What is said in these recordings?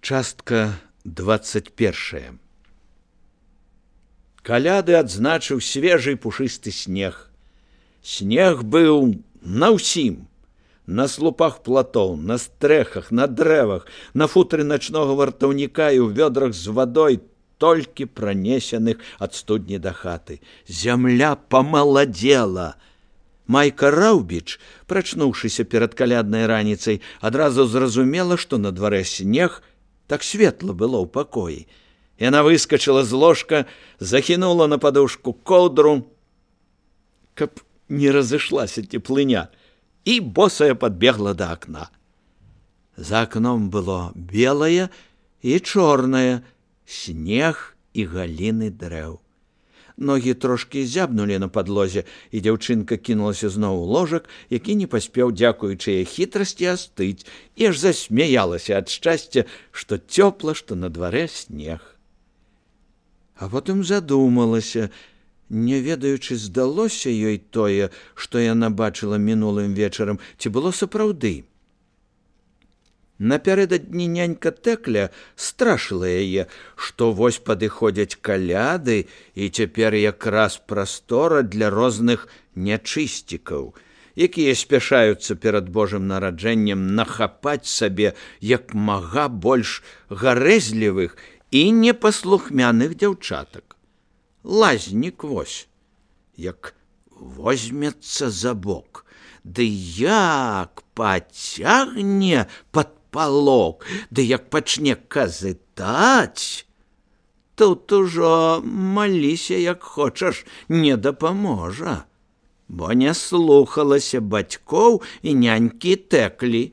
Частка 21. Каляды адзначыў свежы пушысты снег. Снег быў на ўсім. На слупах платоў, на стрэхах, на дрэвах, на футры начнога вартаўніка і ў вёдрах з вадой, толькі пранесеных ад студні да хаты. Зямля памаладзела. Майка Раўбіч, прачнуўшыся перад каляднай раніцай, адразу зразумела, што на дварэ снег. Так светла было ў пакоі. Яна выскачыла з ложка, захінула на падушку коўдру, каб не разышлася цеплыня, і босая падбегла да акна. За акном было белае і чорнае, снег і галіны дрэў. Ногі трошкі зябнулі на падлозе, і дзяўчынка кінулася зноў у ложак, які не паспеў, дзякуючы яе хітрасці, астыць, і аж засмяялася ад шчасця, што цёпла, што на дварэ снег. А потым задумалася, не ведаючы, здалося ёй тое, што яна бачыла мінулым вечарам, ці было сапраўды. Напярэдадні нянька Тэкля страшыла яе, што вось падыходзяць каляды, і цяпер якраз прастора для розных нячысцікаў, якія спяшаюцца перад Божым нараджэннем нахапаць сабе як мага больш гарэзлівых і непаслухмяных дзяўчатак. Лазнік вось, як возьмецца за бок, ды як пацягне пад палок, ды як пачне казытаць, тут ужо маліся, як хочаш, не дапаможа, бо не слухалася бацькоў і нянькі Тэклі.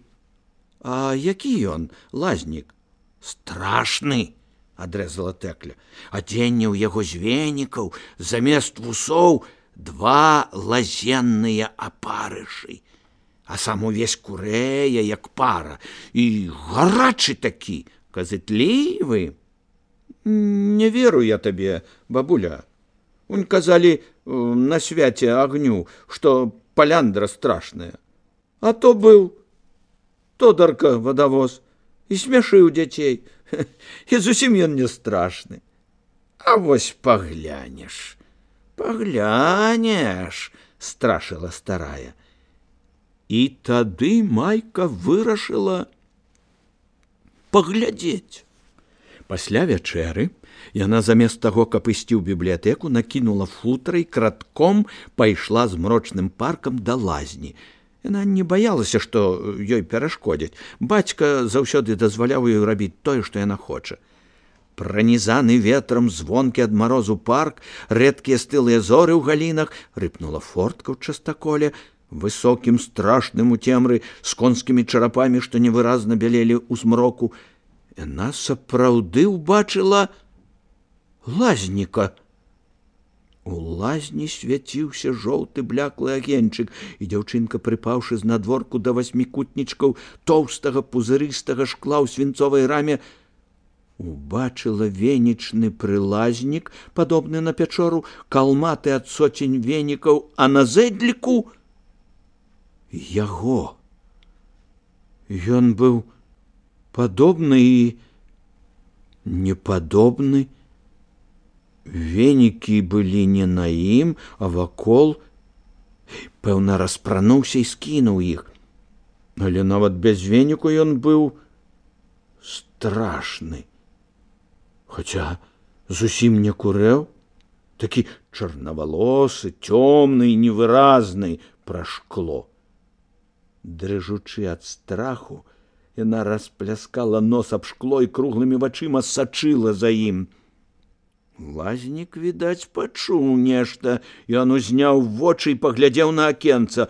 А які ён, лазнік? Страшны, адрэзала Тэкля. Адзенне ў яго з венікаў, замест вусоў 2 лазенныя апарышы. А сам увесь курэе, як пара, і гарачы такі, казытлівы. Не веру я табе, бабуля. Унь казалі на свяце агню, што паляндра страшная. А то быў Тодарка вадавоз і смяшыў дзяцей. І зусім ён не страшны. А вось паглянеш, страшыла старая. І тады Майка вырашыла паглядзець. Пасля вячэры яна замест таго, каб ісці ў бібліятэку, накінула футра і кратком пайшла змрочным паркам да лазні. Яна не баялася, што ёй перашкодзяць. Бацька заўсёды дазваляў ёй рабіць тое, што яна хоча. Пранізаны ветрам, звонкі ад марозу парк, рэдкія стылыя зоры ў галінах, рыпнула фортка ў частаколе, высокім, страшным у цемры, з конскімі чарапамі, што невыразна бялелі ў змроку. Яна сапраўды ўбачыла лазніка. У лазні свяціўся жоўты бляклы агеньчык, і дзяўчынка, прыпаўшы знадворку да 8кутнічкаў тоўстага пузырыстага шкла ў свінцовай раме, убачыла венічны прылазнік, падобны на пячору, калматы ад соцень венікаў, а на зэдліку яго. Ён быў падобны і непадобны. Венікі былі не на ім, а вакол. Пэўна, распрануўся і скінуў іх. Але нават без веніку ён быў страшны. Хаця зусім не курэў, такі чарнавалосы, цёмны і невыразны пра шкло. Дрыжучы ад страху, яна распляскала нос аб шкло і круглымі вачыма сачыла за ім. Лазнік, відаць, пачуў нешта, ён узняў вочы і паглядзеў на акенца.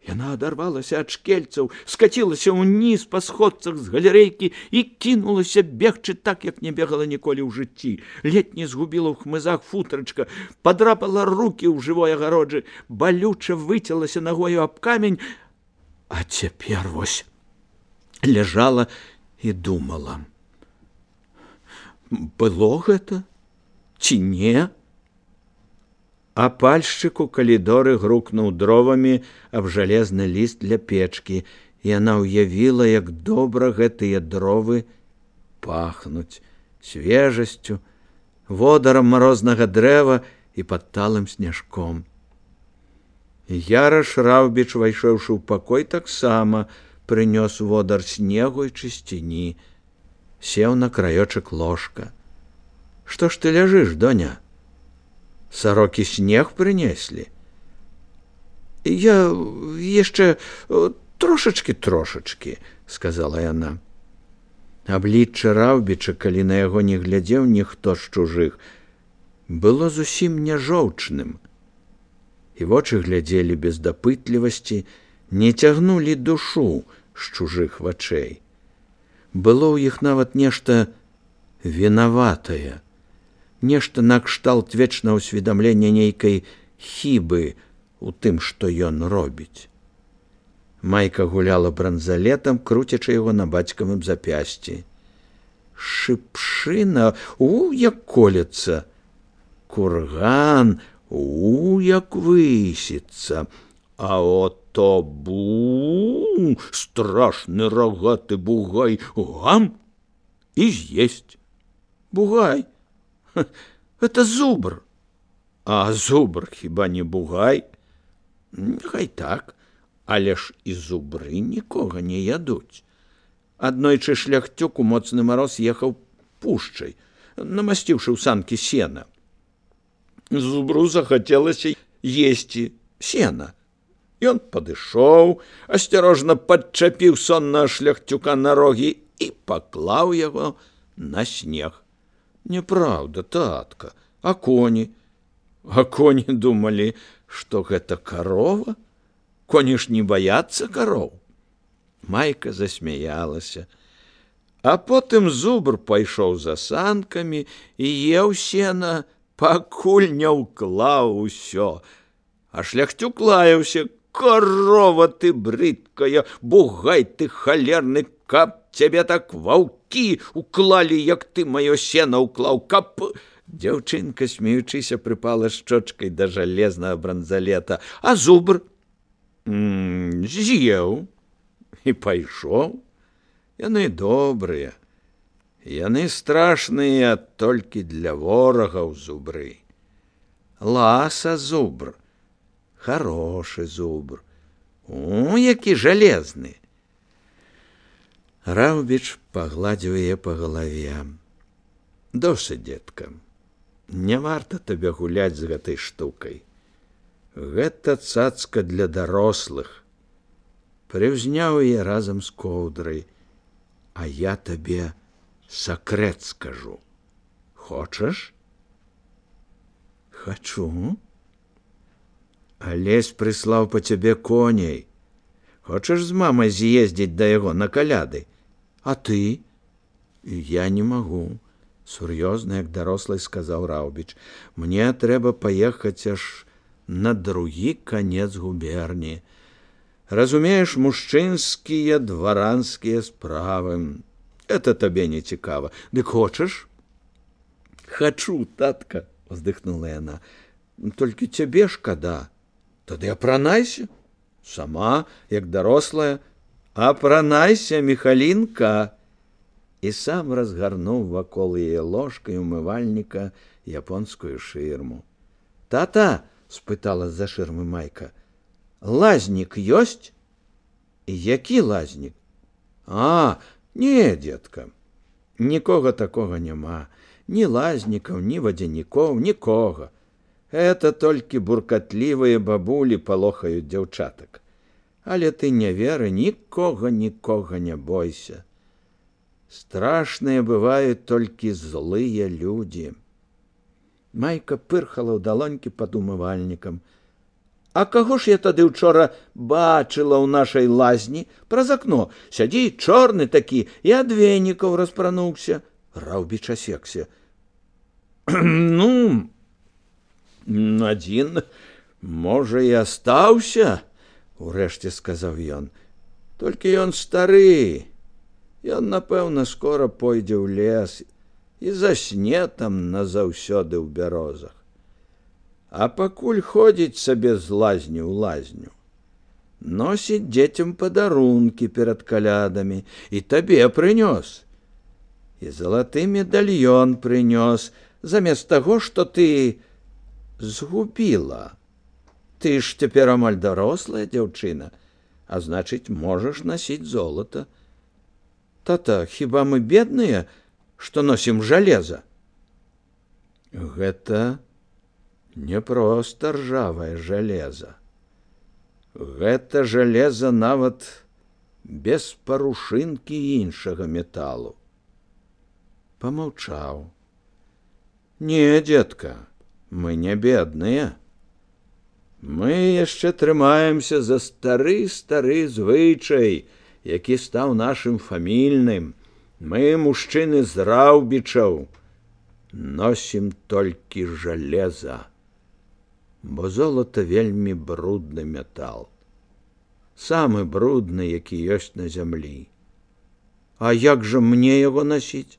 Яна адарвалася ад шкельцаў, скацілася ўніз па сходцах з галерэйкі і кінулася бегчы так, як не бегала ніколі ў жыцці. Ледзь не згубіла ў хмызах футрачка, падрапала рукі ў жывой агароджы, балюча выцялася нагою аб камень, а цяпер вось ляжала і думала. Было гэта ці не? А пальшчык у калідоры грукнуў дровамі аб жалезны ліст для печкі, і яна ўявіла, як добра гэтыя дровы пахнуць свежасцю, водарам марознага дрэва і падталым сняжком. Яраш Раўбіч, вайшоўшы ў пакой, таксама прынёс водар снегу і чысціні, сеў на краёчак ложка. Што ж ты ляжыш, доня? Сарокі снег прынеслі? Я яшчэ трошачкі, сказала яна. Аблічча Раўбіча, калі на яго не глядзеў ніхто з чужых, было зусім няжоўчным. І вочы глядзелі без дапытлівасці, не цягнулі душу з чужых вачэй. Было ў іх нават нешта вінаватае, нешта накшталт вечнага ўсведамлення нейкай хібы у тым, што ён робіць. Майка гуляла бранзалетам, круцячы яго на бацькавым запясці. Шыпшына, як колецца. Курган, як высіцца. А ото страшны рогаты бугай, гам і з'есть. Бугай? Это зубр. А зубр хіба не бугай? Хай так. Але ж і зубры нікога не ядуць. Аднойчы шляхцюк у моцны мароз ехаў пушчай, намасціўшы ў санкі сена. Зубру захацелася есці сена. Ён падышоў, асцярожна падчапіў соннага шляхцюка на рогі і паклаў яго на снег. Няпраўда, татка, а коні? А коні думалі, што гэта карова? Коні ж не баяцца кароў. Майка засмяялася. А потым зубр пайшоў за санкамі і еў сена, пакуль не ўклаў усё. А шляхцюк лаяўся: «Карова ты брыдкая, бугай ты халерны, каб цябе так ваўкі уклалі, як ты маё сена ўклаў, каб...» Дзяўчынка, смеючыся, прыпала шчочкай да жалезнага бранзалета. А зубр з'еў і пайшоў. Яны добрыя, яны страшныя толькі для ворагаў зубры. Ласа зубр, хорошы зубр, які жалезны. Раўбіч пагладзіў яе па галаве. Досыць, дзетка, не варта табе гуляць з гэтай штукай. Гэта цацка для дарослых. Прыўзняў яе разам з коўдрай. А я табе сакрэт скажу. Хочаш? Хачу. Алесь прыслаў па цябе коней. Хочаш з мамай з'ездзіць да яго на каляды? А ты? Я не магу. Сур'ёзна, як дарослый, сказаў Раўбіч. Мне трэба паехаць аж на другі канец губерні. Разумееш, мужчынскія дваранскія справы. Это табе не цікава. Дык хочаш? Хачу, татка, уздыхнула яна. Толькі цябе шкада. Тады апранайся. Сама, як дарослая. Апранайся, Міхалінка. І сам разгарнуў вакол яе ложкай умывальніка японскую шырму. Тата, спытала з-за шырмы Майка, лазнік ёсць? Які лазнік? А, не, дзетка, нікога такога няма. Ні лазнікаў, ні вадзянікоў, нікога. Это толькі буркатлівыя бабулі палохаюць дзяўчатак. Але ты не веры, нікога не бойся. Страшныя бываюць толькі злыя людзі. Майка пырхала ў далонькі пад умывальнікам. А каго ж я тады ўчора бачыла ў нашай лазні праз акно? Сядзі, чорны такі, і ад венікаў распрануўся. Раўбіч асекся. Ну, адзін, можа, і астаўся, урэшце сказаў ён. Толькі ён стары. Ён, напэўна, скора пойдзе ў лес і засне там назаўсёды ў бярозах. А пакуль ходзіць сабе з лазні ў лазню, носіць дзецям падарункі перад калядамі і табе прынёс. і залаты медальён прынёс, замест таго, што ты згубіла. Ты ж цяпер амаль дарослая дзяўчына, а значыць, можаш насіць золата. Тата, хіба мы бедныя, што носім жалеза? Гэта не проста ржавае жалеза. Гэта жалеза нават без парушынкі іншага металу. Памаўчаў. Не, дзетка, мы не бедныя. Мы яшчэ трымаемся за стары звычай, які стаў нашым фамільным. Мы, мужчыны з Раўбічаў, носім толькі жалеза, бо золата вельмі брудны метал. Самы брудны, які ёсць на зямлі. А як жа мне яго насіць?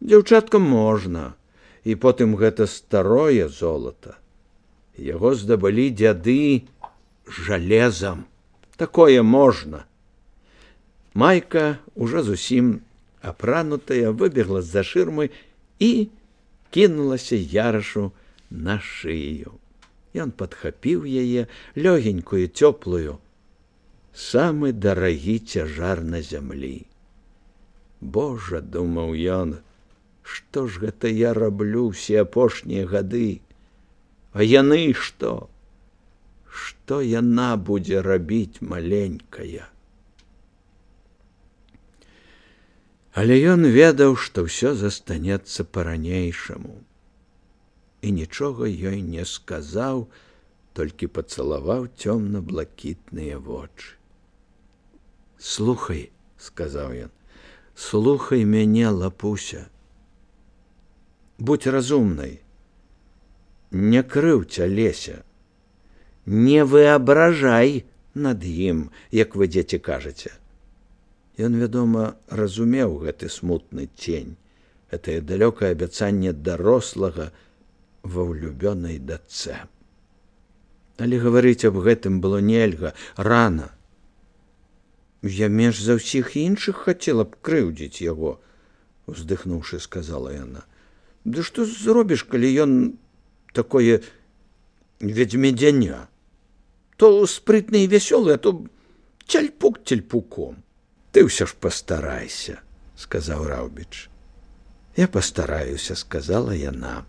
Дзяўчаткам можна, і потым гэта старое золата. Яго здабылі дзяды жалезам. Такое можна. Майка, ужо зусім апранутая, выбегла з-за шырмы і кінулася Ярашу на шыю. Ён падхапіў яе, лёгенькую, цёплую. Самы дарагі цяжар на зямлі. Божа, думаў ён, што ж гэта я раблю ўсе апошнія гады? А яны што? Што яна будзе рабіць, маленькая? Але ён ведаў, што ўсё застанецца па-ранейшаму. І нічога ёй не сказаў, толькі пацалаваў цёмна-блакітныя вочы. «Слухай», – сказаў ён, – «слухай мяне, лапуся. Будь разумнай, не крыўдзь Алеся, не выабражай над ім, як вы, дзеці, кажаце». Ён, вядома, разумеў гэты смутны цень, гэтае далёкае абяцанне дарослага ва ўлюбёнай дачцэ. Але гаварыць аб гэтым было нельга, рана. «Я менш за ўсіх іншых хацела б крыўдзіць яго», – уздыхнуўшы, сказала яна. «Ды што зробіш, калі ён такое ведзьмедзяня? То спрытны і вясёлы, а то цяльпук цяльпуком». «Ты ўсё ж пастарайся», – сказаў Раўбіч. «Я пастараюся», – сказала яна.